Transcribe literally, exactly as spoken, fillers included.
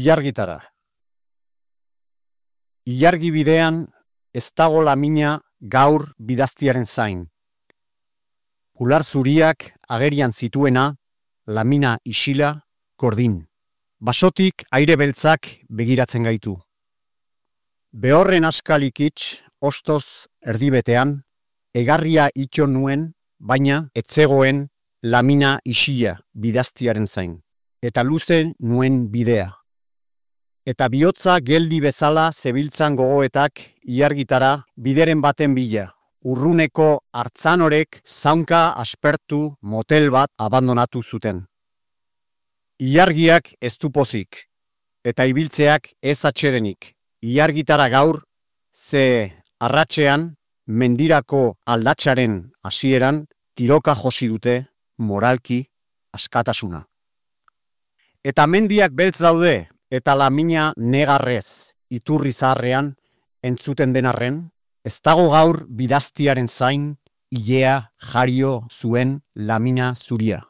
Ilargitara. Ilargi bidean ez dago lamina gaur bidaztiaren zain. Ular zuriak agerian zituena, lamina isila, kordin. Basotik aire beltzak begiratzen gaitu. Behorren askalikitz, ostoz erdibetean, egarria itxo nuen, baina etzegoen lamina isila bidaztiaren zain. Eta luze nuen bidea. Eta bihotza geldi bezala zebiltzan gogoetak ilargitara bideren baten bila. Urruneko hartzanorek zaunka aspertu motel bat abandonatu zuten. Ilargiak ez du pozik, eta ibiltzeak ez atsedenik. Ilargitara gaur, ze arratsean mendirako aldatsaren hasieran tiroka josi dute moralki askatasuna. Eta mendiak beltz daude, eta lamina negarrez iturri zaharrean entzuten denarren, ez dago gaur bidaztiaren zain ilea jario zuen lamina zuria.